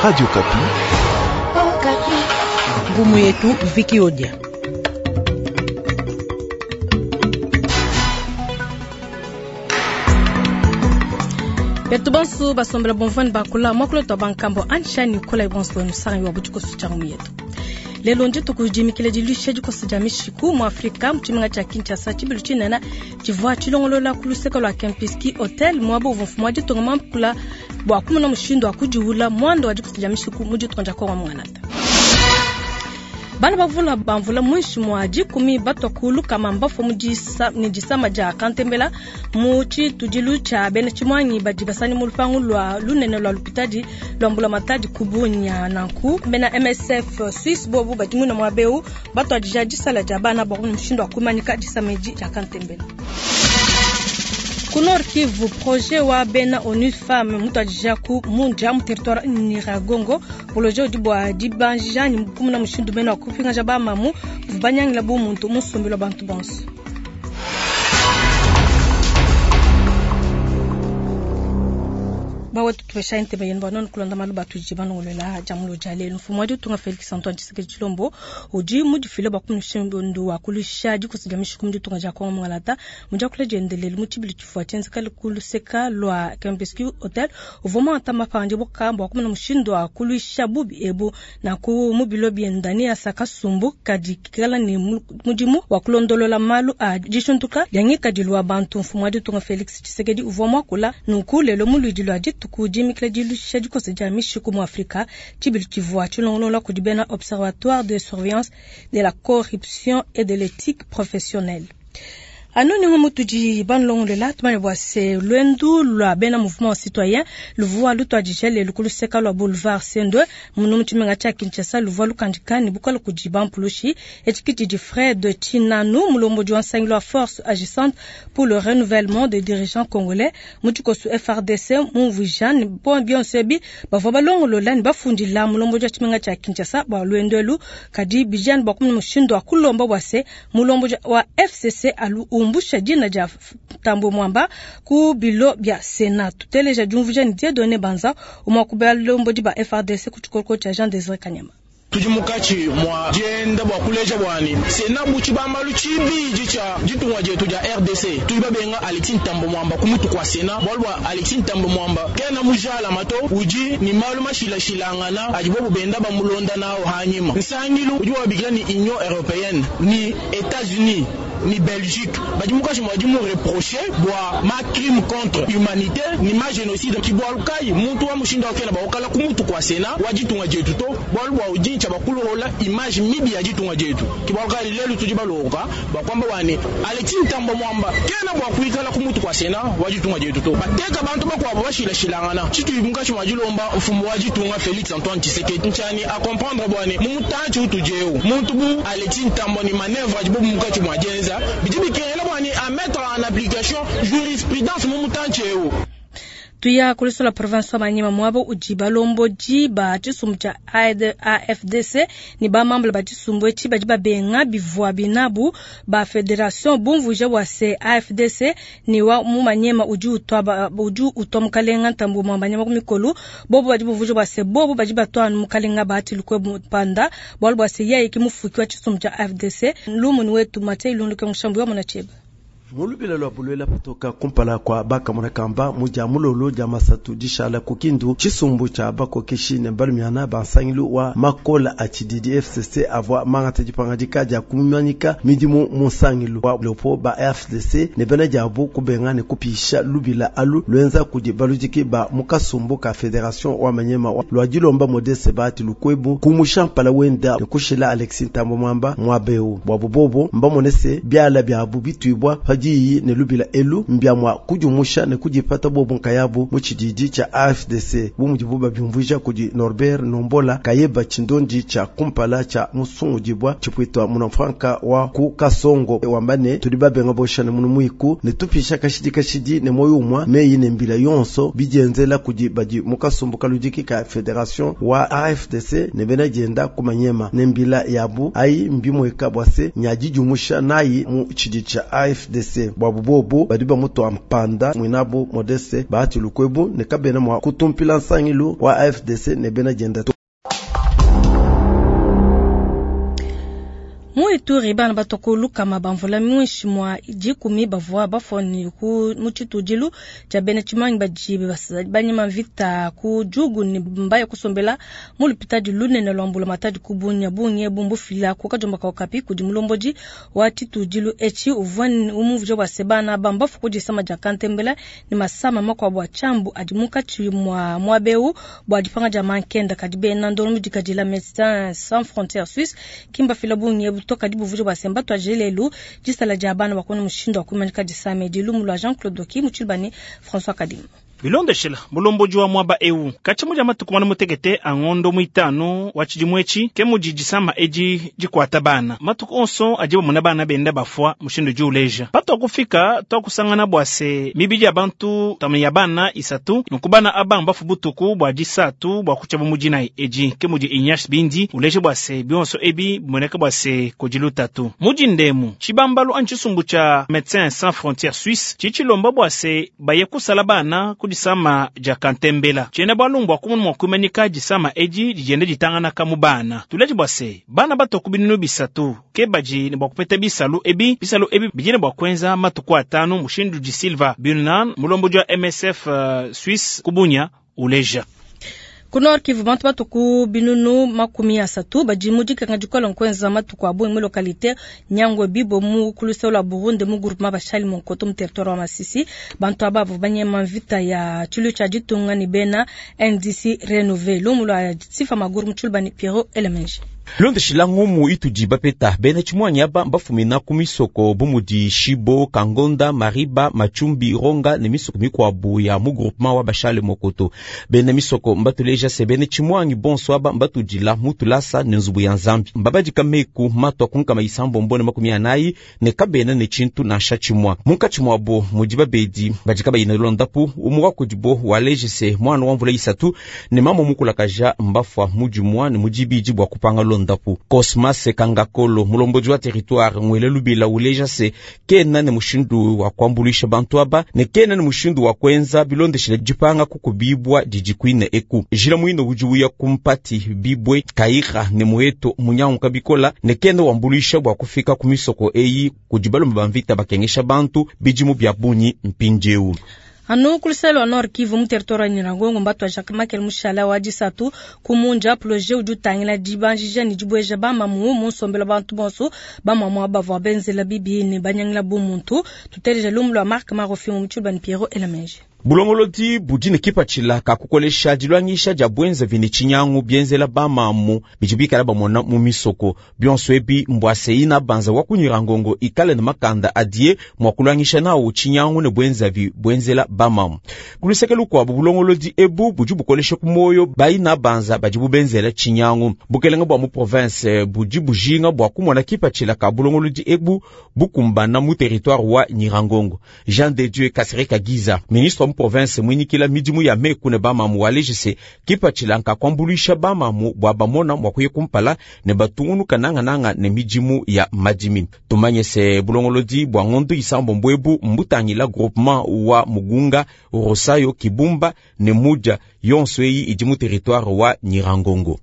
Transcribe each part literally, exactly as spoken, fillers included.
Radio Okapi. Ngumu yetu Viki Odia. Betu bonso basombela bomvani bakula mwakulo twa bankambo ansha Nicola ibonso wenu sanga wa butikosu cha ngumu yetu. Lelo ndi tukujimikile dilusha dikosa dia mishiku mu Afrika mu tshimenga tshia Kinshasa tshibilu tshinene tshivua tshilongolola ku luseke lua Kempinski Hotel muaba uvua mfumu wa ditunga muakula bua kumona mushindu wa kudiwula muanda wa dikosa dia mishiku mu ditunga dia Kongo muanata. Bana bavula bamvula muinshi mua dikumi batwa ku lukama mbafua mu disa, ne disama dia kantembela mu tshitudilu tshia bena tshimuangi badi basani mu lupangu lua lunene lua lupitadi lua mbulamatadi ku Bunia. Nanku bena M S F Suisse bobu badi muna muaba eu batuadija disala dia bana bua mushindu wa kumanyika disama edi dia kantembela. Ku Nord Kivu, projet wa bena ONU Femmes mutuadija ku Mundia mu territoire Nyiragongo, projet udi bua dibanjija ni kumuna mushindu mene wa kupingaja ba mamu banyangila bu muntu musumbilo bantu bonso. Bawe tutupesha ntebe yenu bano kulonda malu batuji banongolela jamulo jale mfumu wa ditunga Felix Antoine Tshisekedi Tshilombo udi mudifile bua kumushindu wa kulusha dikosa dia mishiku mu ditunga dia Kongo Mungalata mu diakula diendelele mu tshibilu tshivua tshienzeka ku luseka lua Kempinski Hotel uvua muangata mapandi bua bua kumona mushindu wa kuluisha bubi ebu na ku mu bilo bienda ne asa kasumbu kadi kikala ne mudimu wa kulondolola malu a dishuntuka dia ngikadilu wa bantu. Mfumu wa ditunga Felix Tshisekedi uvua muakula nunku lelo mu luidi lua dituku kudimikila dilusha dikosa dia mishiku mu Afrika tshibilu tshivua tshilongolola kudi bena Observatoire de surveillance de la corruption et de l'éthique professionnelle. Anu ni mutudi banlongolela tumanye bua se lwendu lua bena mouvement citoyen luvua lutuadija lelu ku luseka lua boulevard Sendwe munu mu tshimenga tshia Kinshasa luvua lukandika ne bukole kudi bampulushi etshikiti di Fred Tshinanu mulombodi wa nsangilu wa force agissante pour le renouvellement des dirigeants congolais mu tshikosu F R D C mumvuija ne bo bionso ebi bavua balongolola ne bafundila mulombodi wa tshimenga tshia Kinshasa bua lwendu elu kadi bijane bua kumona mushindu wa kulomba bua se mulombodi wa F C C alu umbusha dina dia Tambwe Mwamba ku bilo bia Senat. Tuteleja diumvuija ne Dieudonné Banza umwa ku balombodi ba F R D C ku tshikoloko tshia Jean Désiré Kanyama. Tudi mukatshi mwa dienda bua kuleja bwani Sena buchi bambalu tshibidi tshia ditunga dietu dia R D C. Tudi babenga Alexis Tambwe Mwamba ku mutu kwa Sena bualu bua Alexis Tambwe Mwamba kena mujala mato udi ni malu mashilashilangana adi bobu benda bamulonda nao hanyima. Nsangilu udi wabikila ni Union Européenne ni États-Unis ni Belgique badi mukatshi mwa di mu reprocher bua ma crime contre humanité ni ma génocide ki bualu kai muntu wa mushindu akena ba okala ku mutu kwa Sena wa ditunga dietu to bualu bua udi ntsha bakulola image mibi ya ditunga dietu ki bualu kai lelu tudi baloka ba kwamba wane Alexis Tambwe Mwamba kena bua kuikala ku mutu kwa Sena wa ditunga dietu to bateka bantu bakwabo bashilashilangana tshitu mukatshi mwa dilomba mfumu wa ditunga Félix Antoine Tshisekedi ntshiani a comprendre bwane mu mutanchi utujeu muntu bu Alexis Tambwe ni manœuvre adi bobu mukatshi mwa dienza bidi bikengela bwane a mettre en application jurisprudence mu mutanchi eu. Tuya kuliso la province wa Maniema mwabo udi balombodi ba tshisumbu tshia A F D C ni ba membre ba tshisumbu etshi badi babenga bivua binabu ba fédération bumvuija bua se A F D C ni wa mu Maniema udi utwa ba, udi utwa mukalenga Tambwe Mwamba nyama ku mikolu bobo badi bumvuija bua se bobo badi batwa anu mukalenga Bahati Lukwebo Mpanda bualu bua se yeye ki mufuki wa tshisumbu tshia A F D C lumuni wetu Mathieu Ilundu ke mushambu wa Munacheba. Mulubila lwa bulwela kutoka kumpala kwa baka munakamba muja mulolo ja masatu dishala kukindu chisumbu cha bakokeshi ne balumiana bansangilu wa makola a chididi F C C avwa mangata dipangadika dia kumanyika midimu munsangilu wa lopo ba F D C ne bena jabu kubenga ne kupisha lubila alu lwenza kudi balujiki ba mukasumbu ka fédération wa Manyema lwa dilomba Modeste Bahati Lukwebo kumusha mpala wenda ne kushila Alexis Tambwe Mwamba mwabeu bwa bobobo mbamonese byala bya bubitwibwa diyi ne lubila elu mbya mwa kujumusha ne kujipata bobo nkayabu mu tshididi tshia A F D C bu mudibu babiumvuija kudi Norbert Nombola kayeba tshindondi tshia kumpala tshia musungudibwa tshipwitwa munafranka wa ku Kasongo wambane tudi babenga bosha ne munu muiku ne tupisha kashidi kashidi ne moyo umwa meyi ne mbila yonso bidienzela kudi badi mukasumbu kaludiki ka fédération wa A F D C ne bena dienda kumanyema ne mbila yabu ayi mbimweka bwase nyadijumusha nayi mu tshididi tshia A F D C. C bwabu bobu badi bamutua mpanda mwinabo Modeste Bahati Lukwebo ne kabena mwa kutumpila nsangilu wa A F D C ne bena dienda to. Mu Ituri bana batoko lukama bamvula mwinshi mwa dikumi bavua bafoni ku mu tshitudilu tshia bena tshimangi badi banyima mvita ku Djugu ne mbaya kusombela mu lupitadi lunene lwa mbulamatadi ku Bunia. Bungi bumbufila ku kajomba ka Okapi kudi mulombodi wa tshitudilu etshi uvua umuvuje bua se bana bambafu ku disama dia kantembela ne masama makuabu a tshiambu adi munkatshi mwa muabeu bua dipanga dia mankenda. Kadi bena ndongo dikadila Médecins Sans Frontières Suisse kimbafila bungi toka dibuvujo bwa semba twajelelu disala dia bana bakona mushindo wa kumanika disame dilumu lwa Jean-Claude Doki muchilbani François Kadim. Bilondeshela mulomboji wa mwaba ewu kachi muja matuku mwana mutekete angondo mwitano wa chidimwechi ke muji disama eji jikwata bana matuku onso ajiba muna bana benda bafwa mushindo juleja pato akufika to kusangana bwase mibiji abantu tamu ya bana isatu nukubana abamba fubutuku bwa jisatu bwa kuchaba mujina eji ke muji inyash bindi uleje bwase bionso ebi moneka bwase kojilutatu muji ndemu chibambalu anchisumbu cha Médecins Sans Frontières Suisse chichilomba bwase baye kusala bana kudisama ja kantembela chene bwalungwa kumunu mwakumanika disama eji dijende ditangana kamu bana tuleji bwase bana bato kubinunu bisatu ke baji ne bwakupeta bisalu ebi bisalu ebi bijine bwakwenza matuku atano mushindu di Silva Bunan mulombo ja M S F uh, Suisse kubunya uleja. Ku Nord Kivu bantu batuku binunu makumi asatu badi mu dikenga dikole nkwenza matuku abu mu localité Nyangwe Bibo mu kulusa la Burundi mu groupement Bashali Monkoto mu territoire wa Masisi. Bantu aba banyema mvita ya tshilu tshia ditunga ni bena N D C Renouvelé lumu lwa Sifa Maguru Mutshulubani Pierrot Elemenji. Londeshila ngumu itudi bapeta bena tshimwanyi aba mbafumina ku misoko bumudi Shibo, Kangonda, Mariba, Machumbi, Ronga ne misoko mikwabu ya mu groupement wa Bashale Mokoto. Bena misoko mbatuleja se bena tshimwanyi bonso aba mbatudila mutulasa ne nzubu ya Nzambi. Mbabadika meku matwa kunkama isambo mbone makumi anayi ne kabena ne tshintu nansha tshimwa. Munkatshi mwabo mudi babedi badika bayina londapu umuwa kudibo waleje se mwana wa mvula isatu ne mama mukulakaja mbafwa mudi mwa ne mudi bidi bwa kupanga londapu. Cosmas Kangakolo mulomboji wa territoire ngwele lubila uleja se kena ne mushindu wa kuambulisha bantu aba ne kena ne mushindu wa kwenza bilondeshile dipanga kukubibwa didikwine eku jila mwino ujuya kumpati bibwe kaira ne mueto munyangu kabikola ne kena wambulisha bwa kufika kumisoko eyi kudibalomba bamvita bakengesha bantu bidimu bya bunyi mpindieu. Anu kuluselo wa Nord Kivu mu territoire wa Nyiragongo mbatu wa Jacques Makel mushala wa disatu kumunja projet udi utangila dibanjija ne dibweja bamamu mu nsombelo bantu bonso bamamu abavua benzela bibi ne banyangila bumuntu. Tuteleja lumu lwa Marc Marofi mu Mutshulubani Pierrot Elemenji. Bulongolodi budi ne kipatshila ka kukolesha dilwangisha dia bwenza vini tshinyangu bienzela bamamu bidi bikala bamona mu misoko bionso ebi mbwase ina banza wa ku Nyiragongo ikale ne makanda adie mwa kulwangisha nawo tshinyangu ne bwenza vi bwenzela bamamu. Kuluseke lukuabu bulongolodi ebu budi bukolesha ku moyo baina banza badi bubenzela tshinyangu. Bukelenge bua mu province budi bujinga bua kumona kipatshila ka bulongolodi ebu bukumbana mu territoire wa Nyiragongo. Jean de Dieu Kasereka Giza, ministre wa province mwinikila midimu ya meku ne bamamu walejise kipatshila nka kuambuluisha bamamu bua bamona mwa kuye kumpala ne batungunuka nangananga ne midimu ya madimi. Tumanye se bulongolodi bua ngondo isambo mbwebu mbutangila groupement wa Mugunga, Rosayo, Kibumba ne Mudia yonso eyi idi mu territoire wa Nyiragongo.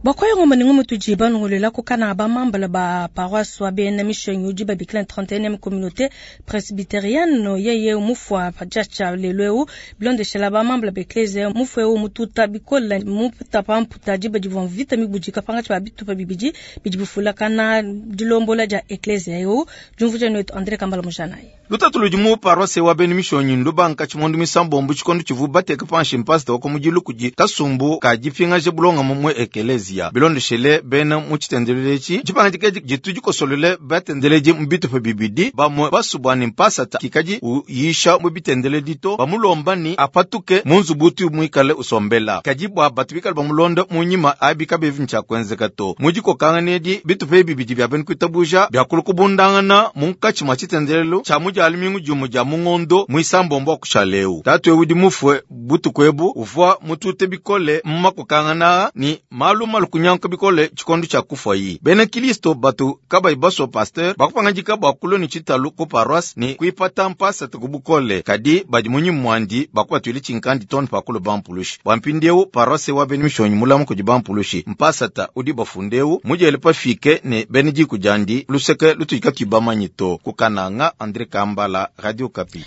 Bakwayo ngoma ningo mutuji banongolela kokana ba mambala ba paroisse wa bena mission yudi ba biklan trente et unième communauté presbytérienne yeye mufwa pachacha leleu blonde shela ba mambala ba ecclesia mufwe o mututa bikola muputa pamputa jiba divon vita mibujika panga ba bitupa bibiji bidibufula kana dilombola ja ecclesia yo jumvuja no André Kambala Mujanai. Lutatu ludi mu paroisse wa bena mission lubanka chimondu misambo mbu chikondo chivu bateka panshi mpasta wako mujilu kuji kasumbu ka jipinga je bulonga mumwe ecclesia. Bilondeshele bena mu tshitendelelechi tshipanga jitu jikosolele batendeleji mu bitupa bibidi bamwe basubwani mpasata kikaji uyisha mu bitendeledi to bamulomba ni apatuke mu nzubu mwikale usombela kaji bwa batu bikale bamulonda munyima abika bevi ntshakwenzeka to mujikokanganedi bitupa bibidi bya bena kwitabuja byakulu kubundangana munkatshi mwa tshitendelelo tsha mujali mingu jumu ja mungondo mwisambombo akushaleu tatu ewudi mufwe butuku ebu uvwa mutute bikole mumakokangana ni malu Bitalu kunyanguka bikole tshikondo tshia kufuayi. Bena Kilisto batu kabayi basua pasteur bakupangadika bua kulua ne tshitalu ku paroisse ne kuipata mpasata ku bukole, kadi badi munyima muandi bakubatuile tshinkandi too pa kulua bampulushi. Bua mpindieu paroisse wa bena mishonyi mulama kudi bampulushi, mpasata udi bafundeu mudiele pafike ne bena diku diandi luseke lutudi katuyi bamanyi to. Ku Kananga, Andre Kambala, Radio Okapi.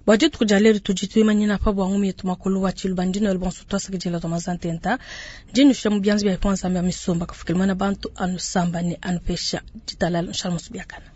Bua dituku dia lelu tudi tuimanyina pa bua ngumu yetu makulu wa tshiluba ndino el bonso twasakidila tua mazantenta ndinusha mu bianza bia Nzambi ya misumba kafukile mwana bantu anusamba ne anupesha ditalala nshala musubiakana.